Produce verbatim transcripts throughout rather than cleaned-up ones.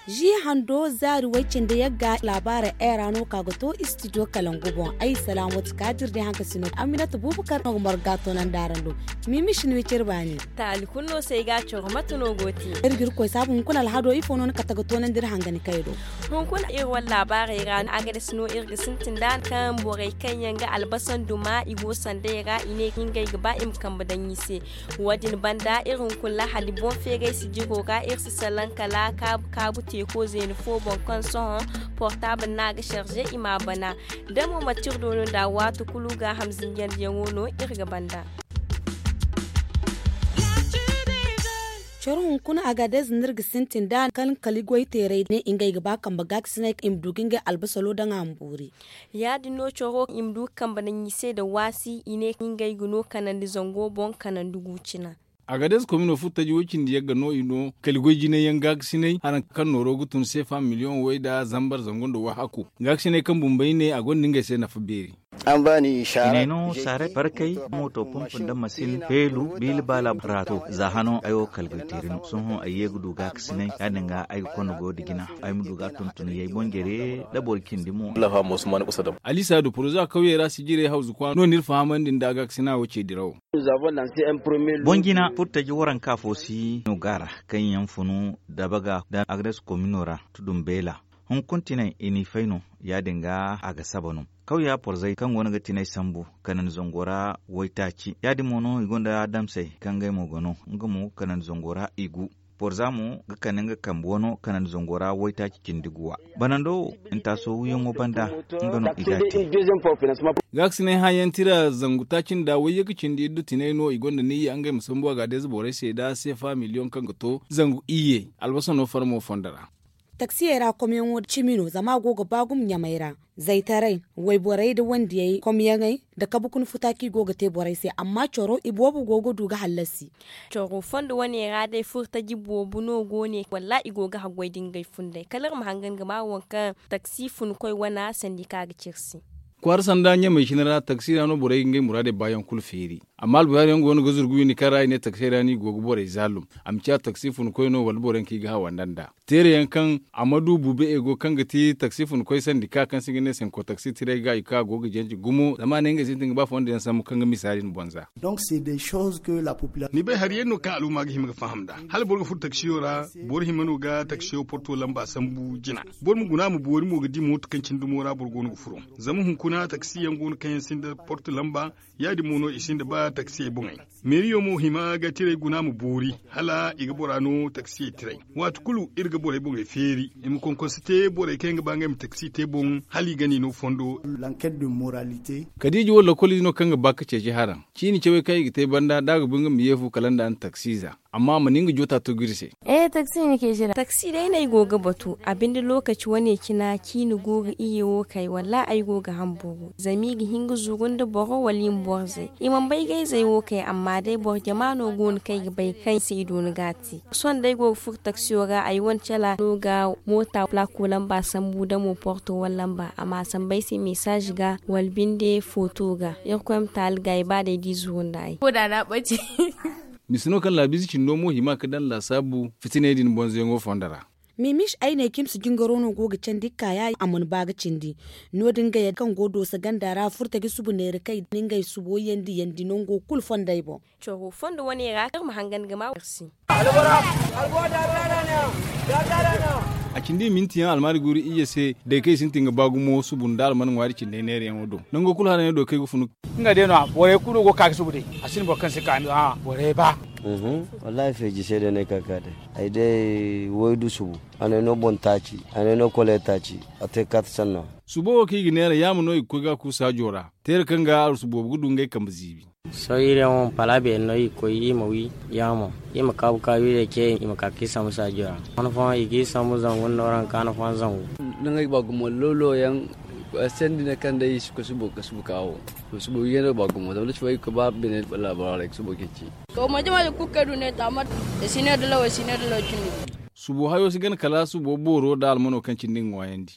Zi hando zaari way cindi yagga laabaarey ra no ka ga to istidiyo kalangu boŋ. Ay salaamatu kaadir day haŋ ka si no aminata buubakar no ga marga toonandi araŋ do. Mimi si ni wicir baani. Taali kulu no se ay ga a coro mate no go te. Iri ga iri koy saabu hunkuna alhado ifo no ni kate ga toonandi iri hangani kay do. Hunkuna iri wane laabaarey ra a ga dasi no iri ga sintin nd'a kaŋ borey kaŋ yaŋ ga albasa nduma i go sanday ra i ne ngey ga ba i ma kambe daŋ i se. Wo- din banda iri hunkuna lahadi boŋ feeray sijiro ra iri si salaŋ kala kaabu teeko zeeni fo boŋ kaŋ sohõ portaabul no a ga sarze i m'a bana. Da mo manti iri do no nd'a waati kulu gaaham zinjandiyaŋo no iri ga banda. Coro hunkuna agadez no iri ga sintin nd'a kaŋ kala goyteerey ne ngey ga ba kambe gaakasinay i ma du ga ngey albasalo daŋ a ma boori. Ya- din no coro i ma du ga kambe daŋ i se nda waasi i ne ngey ga no kanandi zango boŋ kanandi gu cina. Agadez komino furo taji way cindi yagga no i no kala goy jinay yaŋ gaakasinay haraŋ kaŋ nooro ga tun seefa miliyoŋ way nda zambar zangu nda wahakku. Gaakasinay kaŋ bumbey ne a gonda ngey se nafa beeri. Hinay no saaray barkay, mooto pomp nda masin, feelu, biili baala, raato za hano ay wo kala goy teeri no sohõ ay ye ga du gaakasinay ya- din ga ay ga konda goyo nda jina ay ma du ga a tuntun yay boŋ jare nda boro cindi mo. Alisa du poroza kawyey ra sijirey hawzu kwaara no n'iri fahamandi nda gaakasina wo ce dirawo. Boŋ jina furo taji waranka fo si no gaara kaŋ yaŋ funu dabaga nda agres komino ra tudun beela. Hunkuna tinay i n'i fay no ya- din ga a ga saba no. Kawya porzey kaŋ go no ga tinay sambu kanandi zango ra waytaaci ya- din mo no i gonda damsey kaŋ ngey mo ga no nga mo kanandi zango ra i gu. Porza mo ga kande nga kambe wano kanandi zango ra waytaaci cindi guwa. Banando wo ntaaso wiyaŋo banda nga no i ga a te. Gaakasinay hãayaŋ tira zangu taaci nda wayye ga cindi iddu tinay no i gonda niyya ngey ma sambu a ga deeza borey se nda seefa miliyoŋ kaŋ ga to zangu iyye albasa no farmo fondo ra. Taksiyey ra komyaŋo cimi no zama a go ga ba gumo ɲamey ra. Zaytaray wayborey nda wandiyey komyaŋey nda kabe kuna futa kaŋ i go ga te borey se amma coro iboobo go ga du ga hallasi. Coro fondo wane ra day furtaji boobo no go ne walla i go ga haggoy nda ngey funday kala iri ma hangan ga ma waŋ kaŋ taksi funkoy wana sandi kaŋ a ga ci iri se. Kwaara sanda ɲamey cine ra taksi ra no borey ga ngey muraadey baayaŋ kulu feeri. Amma albuhaari yaŋ go no ga zurgu windi kaŋ ra i ne taksey ra no i go ga borey zaalum. A ma ciya taksi funkoy no wala boro yaŋ kaŋ i ga hawanda nd'a teere yaŋ kaŋ a ma du bube ego kaŋ ga ti taksi funkoy sandika kaŋ se i ga ne senko taksi tiray ga i ka go ga janji gumo zama a ne ngey sintin ga ba fondo yaŋ sambu kaŋ ga misa din boŋ za. Ni bay hari yaŋ no kaŋ aluma ga hima ga faham nd'a hala boro ga furo taksiyo ra. Boro hima no ga taksiyo porto lamba sambu jina. Boro ma guna a ma boori mo ga di mooto kaŋ cine dumo ra boro go no ga furo. Zama hunkuna taksi yaŋ go no kaŋ yaŋ sinda porto lamba. Ya- din mo no i sinda ba taksiyey boŋey. Meeriyo mo hima ga tiray guna ma boori hala i ga bora no taksiyey tiray. Waati kulu iri ga borey boŋey feeri i ma konkonse te borey kaŋ yaŋ ga ba ngey ma taksi te boŋ hala i gana i no fondo. Kadiija wo lokoliize no kaŋ ga ba ga ceeci haraŋ. Ciini cawey kaŋ i ga te banda da a ga bu nga ma yeefu kala nda a na taksiiza. Amma a mana nga joota tugu iri se. Taksi day no ay go ga batu a binde lookaci wane cina ciini go ga iyye wo kay wallaahi ay go ga hamburu zama i ga hin ga zuru nda boro wala i ma borzey. I mana bay ga ay zey wo kay amma day boro jama no go no kaŋ ay ga bay kaŋ ay se i doona ga a te. Sohõ day ay go ga furo taksiyo ra ay wane cala no ga moota plaako lamba sambu da mo porto wala lamba a ma a sambu ay se mesaaz ga wala binde footo ga. Irkoy ma taali ga ay ba day da i zuru nda ay. Mise no kaŋ laabiize cindo mo hima ga daŋ laasaabu fitiney din bonzoyaŋo fondo ra. Mimis ay ne cimsi jingaro no go ga candi ga ka ya a mana ba ga cindi. No- din gayey kaŋ go dooso ganda ra furtaji subu neera kay da ngey subo yandi yandi nango kulu fondey boŋ. Coro fondo wane ra kaŋ iri ma hangan ga ma war se. A cindi i minti yaŋ almaari guuru iyye se day kaŋ i sintin ga ba gumo subu nda alman ŋwaari cindey neerayaŋo do nango kulu haraney do kaŋ ay ga funu. Nga day no-ya borey kulu no go ga ka ga subu day. A sinda boro kaŋ si ka ni hã borey ba. Wallaahi feeji se day no ay ka ga ka day. Ay day waydu subu. A n'ay no boŋ taaci. A n'ay no kole taaci. A te ga ka ta sanno. Subo wo kaŋ i ga neera yaama no i ga koy ga a ku saajo ra. Teera kaŋ ga arsu boobo ga du ngey kambe ziibi. Sohõ iri yaŋ wo pala beeri no i ga koy i ma wi yaamo i ma kaabu kaabu iri ce i ma ka ga i sambu saajo ra. Han fooyaŋ i ga i sambu zangu nda nooranka han fooyaŋ zangu. Nangey ga ba gumo lawlaw yaŋ. Sandi ne kaŋ day i si koy subo ga subu ka wo. Subo wiyaŋ no ga ba gumo zama da cawey ga koy ba beene laabaro ra i ga subo ceeci. To mo jama da kulu kaŋ ay du ne taamar. I si ne da law i si ne da law cindi. Subo hayo si gana kala subo booro nda almano kaŋ cindi ga ŋwaayandi.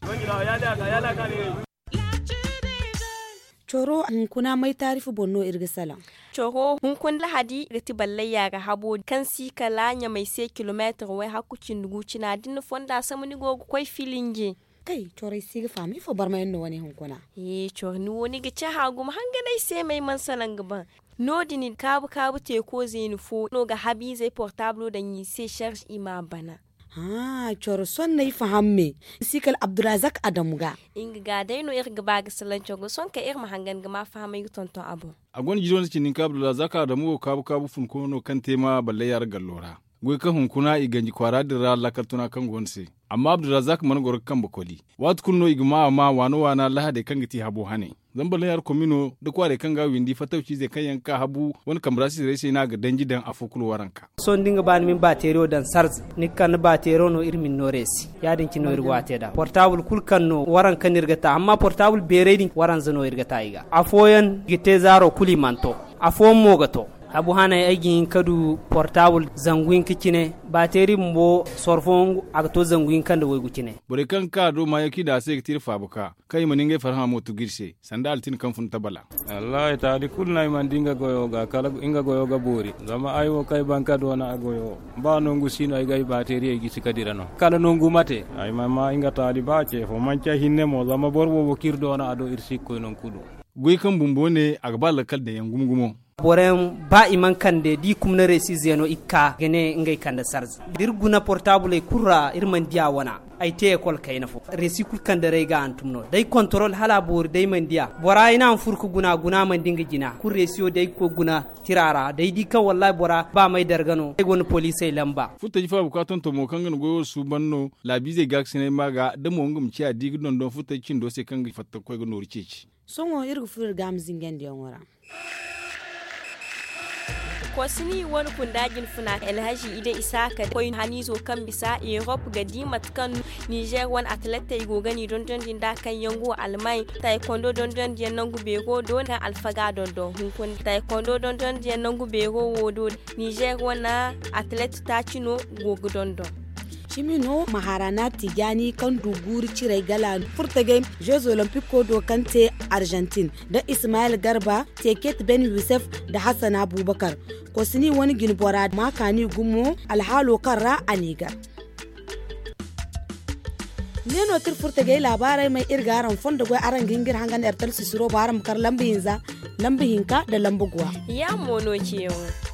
Coro hunkuna may taarifu boŋ no iri ga salaŋ. Coro hunkuna lahadi ga ti ballayya ga habo kaŋ si kala ɲamay se kilomeetir way hakku cindi gu cina da ni na fonda sama ni go ga koy filinje. Kay corey si ga faham ifo barmayaŋ no wane hunkuna. Ee coro ni wo ni ga cahã gumo hanganay se may mana salaŋ ga ban. No- din kaabu kaabu teeko zeeni fo no ga habiizey portaablo daŋ i se sarz i m'a bana. Haa coro sohõ no ay faham me. Ni si kala abdurazak adamu ga. Nga ga day no iri ga ba ga salaŋ coro sohõ kaŋ iri ma hangan ga ma fahamay ga tonton a boŋ. A gonda jiiri wane cindi hinka abdurazak adamu wo kaabu kaabu funko no kaŋ te ma ballayya ra gallo ra. Goy kaŋ hunkuna i ganji kwaara din ra laakal tuna kaŋ go ni se. Amma abdurazak mana goro ga kambe koli. Waati kulu no i ga ma a ma waana waana lahadey kaŋ ga ti habo hane. Zama ballayya ra komino nda kwaarey kaŋ ga a windi fattawciizey kaŋ yaŋ ga ka habu wane kambe ra sitirey se no a ga danji daŋ afo kulu waranka. Sohõ da ni ga ba ni ma ni baateeriyo daŋ sarze ni ga kande baateeriyo no iri ma ni no reesi. Ya- din cine no iri go a te nd'a portaabul kulu kaŋ no waranka no iri ga ta amma portaabul beeray din waranza no iri ga ta i ga afooyaŋ i ga te zaaro kulu i mana to. Afooyaŋ mo ga to. Habu hanay ay ga hin ka du portaabul zangu hinka cine. Baateeri bumbo soro fooyaŋ a ga to zangu hinka nda waygu cine. Borey kaŋ ga ka a do maayaŋ kaŋ i daŋ a se ga ti iri faabuka kaŋ i mana ngey farhã mo tugu iri se. Sanda altin kaŋ fun tabala. Wallaahi taali kulu no ay mana di nga goyo ga kala nga goyo ga boori. Zama ay wo kaŋ ay ban ka doona a goyo ba nangu si no ay ga ay baateeriyey gisi ka dira no kala nangu mate. Ay mana ma nga taali ba ce fo manci ay hinne mo zama boro boobo kaŋ iri doona a do iri si ga koy nangu kulu. Goy kaŋ bumbo ne a ga ba lakkal daŋ yaŋ gumo gumo. Boroyaŋ ba i mana kande da i kumna reesi zeeno i ga ka ga ne ngey kande sarze da iri guna portaabuley kulu ra iri mana di a wana. Ay te ekol kayna fo reesi kulu kaŋ daray ga hantum no day kontorol hala a boori day mana di a bora ay no a ma furo ga guna guna mana di nga jina kulu reesiyo day ga koy guna tira ra day di kaŋ wallaahi bora ba may darga no ay gonda poliisey lamba. Furtaji faabuka tontomo kaŋ ga ni goyo suuban no laabiizey gaakasinay ma ga da mo nga ma ciya di ga dondon furtaji cindo se kaŋ ga fatta ga koy ga nooru ceeci. Sohõ iri ga furo iri ga a ma zingandiyaŋo ra. Kosini wane kunda jinfuna alhazi ide isaaka koy haniizo kaŋ bisa erop ga di mate kaŋ nizer wane atletey go ga ni dondon din da kaŋ yaŋ go almay taekwondo dondon diyaŋ nangu beero do kaŋ alfaga dondon hunkuna taekwondo dondon diyaŋ nangu beero wo do nizer wane atlet taaci no go ga dondon. Cimi no maharana tijani kaŋ du guuri ciray gala furtagay jeux olympico do kaŋ te argentine da ismael garba teket ben yusef da hassan abubakar kosini wane jine bora ma kaani gumo alhaalo kaŋ ra a n'i gar. Ne no kaŋ iri furtagay laabaarey may iri ga araŋ fondo goy araŋ ga hin ga iri hangan ertel sisiro bo araŋ ma kar lamba hinza lamba hinka nda lamba guwa. Ya mo no ceeyaŋo.